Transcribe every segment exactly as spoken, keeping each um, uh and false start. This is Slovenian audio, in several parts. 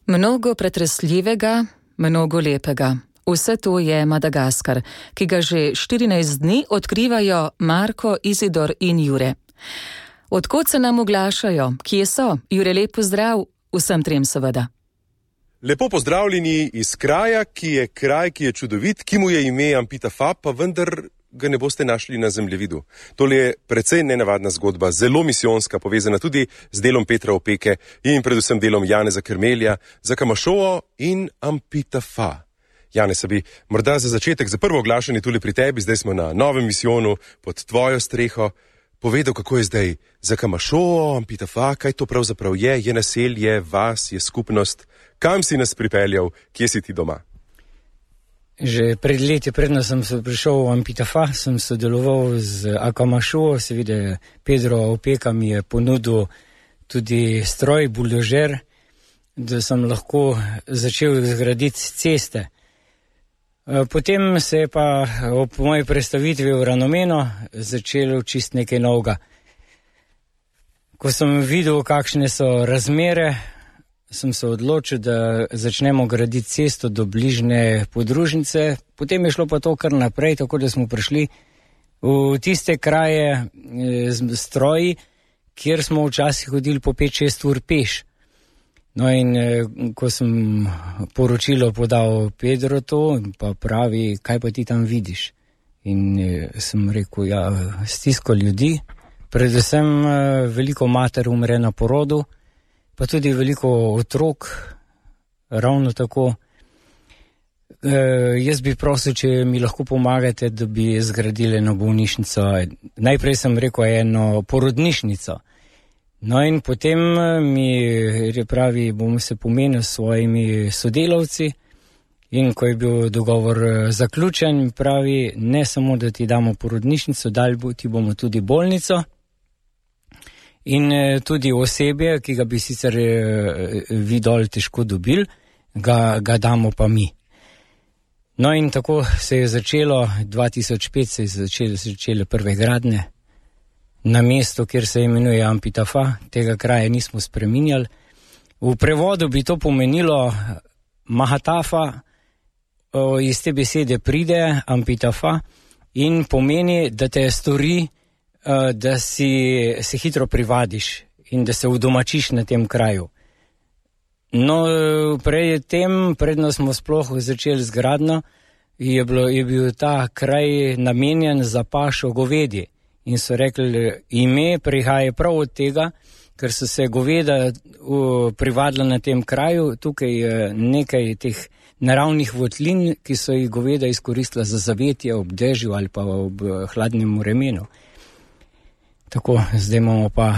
Mnogo pretresljivega, mnogo lepega. Vse to je Madagaskar, ki ga že štirinajst dni odkrivajo Marko, Izidor in Jure. Od kod se nam oglašajo? Kje so? Jure, lep pozdrav vsem trem seveda. Lepo pozdravljeni iz kraja, ki je kraj, ki je čudovit, ki mu je ime Ampitafa, pa vendar ga ne boste našli na zemljevidu. Tole je precej nenavadna zgodba, zelo misijonska, povezana tudi z delom Petra Opeke in predvsem delom Janeza Kermelja, Zakamašovo in Ampitafa. Janez, bi morda za začetek, za prvo oglašanje tule pri tebi, zdaj smo na novem misijonu pod tvojo streho, povedal, kako je zdaj Zakamašovo, Ampitafa, kaj to pravzaprav je, je naselje, vas, je skupnost, kam si nas pripeljal, kje si ti doma? Že pred leti, predno sem se prišel v Ampitafa, sem sodeloval z Zakamašovo, seveda Pedro Opeka mi je ponudil tudi stroj, buldožer, da sem lahko začel zgraditi ceste. Potem se je pa ob moji predstavitvi v Ranomeno začelo čist nekaj novega. Ko sem videl, kakšne so razmere, sem se odločil, da začnemo graditi cesto do bližnje podružnice. Potem je šlo pa to kar naprej, tako da smo prišli v tiste kraje z stroji, kjer smo včasih hodili po pet šest ur peš. No in ko sem poročilo podal Pedro to, pa pravi, kaj pa ti tam vidiš? In sem rekel, ja, stisko ljudi, predvsem veliko mater umre na porodu, pa tudi veliko otrok, ravno tako. E, jaz bi prosil, če mi lahko pomagate, da bi zgradili eno bolnišnico. Najprej sem rekel eno porodnišnico. No in potem mi pravi, bomo se pomenili s svojimi sodelavci in ko je bil dogovor zaključen, pravi, ne samo, da ti damo porodnišnico, dali ti bomo tudi bolnico in tudi osebje, ki ga bi sicer vi dol težko dobili, ga, ga damo pa mi. No in tako se je začelo, dva tisoč pet se je začele, začele prve gradnje. Na mesto, kjer se imenuje Ampitafa, tega kraja nismo spreminjali. V prevodu bi to pomenilo Mahatafa, iz te besede pride Ampitafa in pomeni, da te stori, da si se hitro privadiš in da se udomačiš na tem kraju. No, pred tem, predno smo sploh začeli z gradnjo, je, bilo, je bil ta kraj namenjen za pašo govedi. In so rekli, ime prihaja prav od tega, ker so se goveda privadila na tem kraju, tukaj je nekaj teh naravnih votlin, ki so jih goveda izkoristila za zavetje ob dežju ali pa ob hladnem vremenu. Tako, zdaj imamo pa,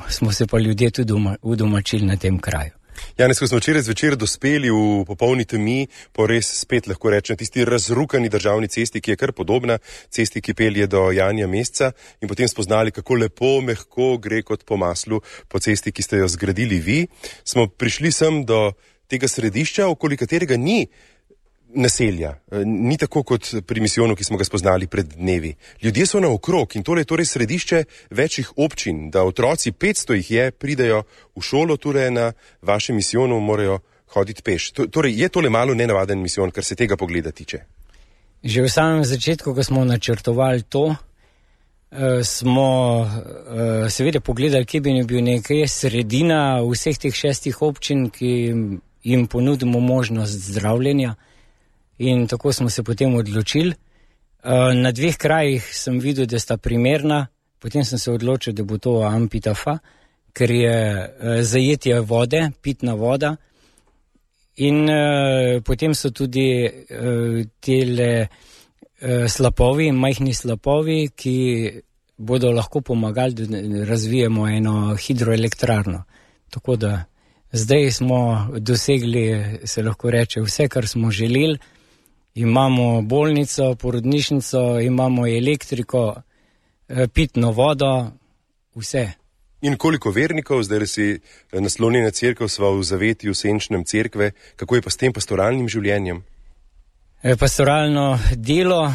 smo se pa ljudje tudi udomačili na tem kraju. Janez, ko smo včeraj zvečer dospeli v popolni temi, po res spet lahko rečem tisti razrukani državni cesti, ki je kar podobna cesti, ki pelje do Janja Mesca, in potem spoznali, kako lepo, mehko gre kot po maslu po cesti, ki ste jo zgradili vi, smo prišli sem do tega središča, okoli katerega ni naselja, ni tako kot pri misijonu, ki smo ga spoznali pred dnevi. Ljudje so naokrog in tole je torej središče večjih občin, da otroci, petsto jih je, pridejo v šolo, torej na vašem misijonu morajo hoditi peš. Torej, je tole malo nenavaden misijon, kar se tega pogleda tiče? Že v samem začetku, ko smo načrtovali to, smo seveda pogledali, kje bi bil nekaj sredina vseh teh šestih občin, ki jim ponudimo možnost zdravljenja. In tako smo se potem odločili. Na dveh krajih sem videl, da sta primerna, potem sem se odločil, da bo to Ampitafa, ker je zajetje vode, pitna voda. In potem so tudi tele slapovi, majhni slapovi, ki bodo lahko pomagali, da razvijemo eno hidroelektrarno. Tako da zdaj smo dosegli, se lahko reče, vse, kar smo želeli. Imamo bolnico, porodnišnico, imamo elektriko, pitno vodo, vse. In koliko vernikov, zdaj si naslonjena cerkev, sva v zavetju senčnem cerkve, kako je pa s tem pastoralnim življenjem? Pastoralno delo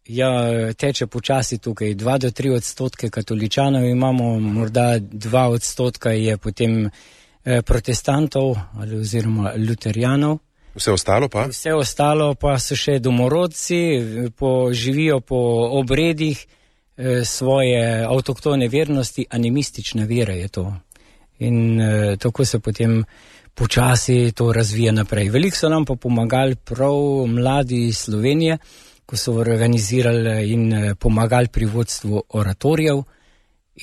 ja, teče počasi tukaj, dva do tri odstotke katoličanov imamo, morda dva odstotka je potem protestantov ali oziroma luterijanov. Vse ostalo pa? Vse ostalo pa so še domorodci, po, živijo po obredih eh, svoje avtoktone vernosti, animistična vera je to. In eh, tako se potem počasi to razvija naprej. Veliko so nam pa pomagali prav mladi iz Slovenije, ko so organizirali in pomagali pri vodstvu oratorijev.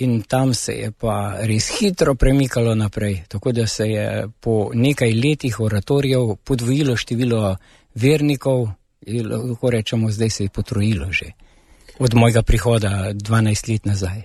In tam se je pa res hitro premikalo naprej, tako da se je po nekaj letih oratorijev podvojilo število vernikov in lahko rečemo, zdaj se je potrojilo že od mojega prihoda dvanajst let nazaj.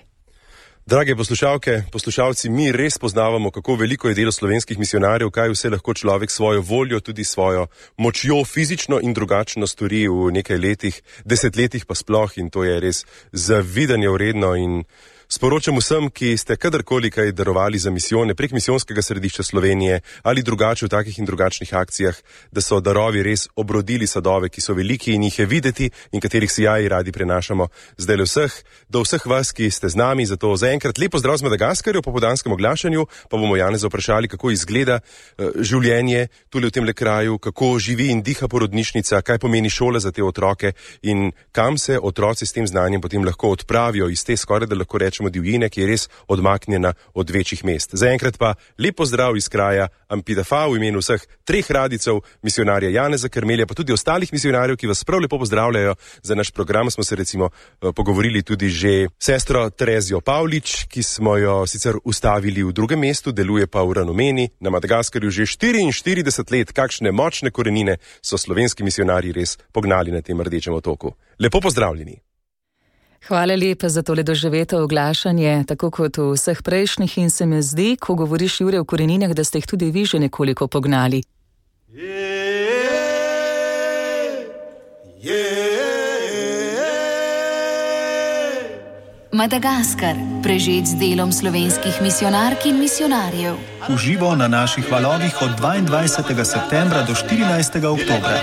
Drage poslušalke, poslušalci, mi res poznavamo, kako veliko je delo slovenskih misionarjev, kaj vse lahko človek svojo voljo, tudi svojo močjo fizično in drugačno stori v nekaj letih, desetletjih pa sploh, in to je res zavidanje vredno. In sporočam vsem, ki ste kadarkoli kaj darovali za misijone prek misijonskega središča Slovenije ali drugače v takih in drugačnih akcijah, da so darovi res obrodili sadove, ki so veliki in jih je videti in katerih sijaji radi prenašamo. Zdaj le vseh, do vseh vas, ki ste z nami, zato zaenkrat lepo zdrav z Madagaskarja po podanskem oglašanju, pa bomo Janeza vprašali, kako izgleda uh, življenje tule v tem le kraju, kako živi in diha porodnišnica, kaj pomeni šola za te otroke in kam se otroci s tem znanjem potem lahko odpravijo iz te skoraj, da lahko rečemo, divjine, ki je res odmaknjena od večjih mest. Zaenkrat pa lepo zdrav iz kraja Ampitafa v imenu vseh treh radicov, misionarja Janeza Karmelja, pa tudi ostalih misionarjev, ki vas prav lepo pozdravljajo. Za naš program smo se recimo pogovorili tudi že sestro Terezijo Pavlič, ki smo jo sicer ustavili v drugem mestu, deluje pa v Ranomeni, na Madagaskarju že štiriinštirideset let. Kakšne močne korenine so slovenski misionarji res pognali na tem rdečem otoku. Lepo pozdravljeni. Hvala lepa za tole doživeto oglašanje, tako kot v vseh prejšnjih, in se mi zdi, ko govoriš, Jure, o koreninah, da ste jih tudi vi že nekoliko pognali. Madagaskar, prežet z delom slovenskih misionark in misionarjev. Uživo na naših valovih od dvaindvajsetega septembra do štirinajstega oktobra.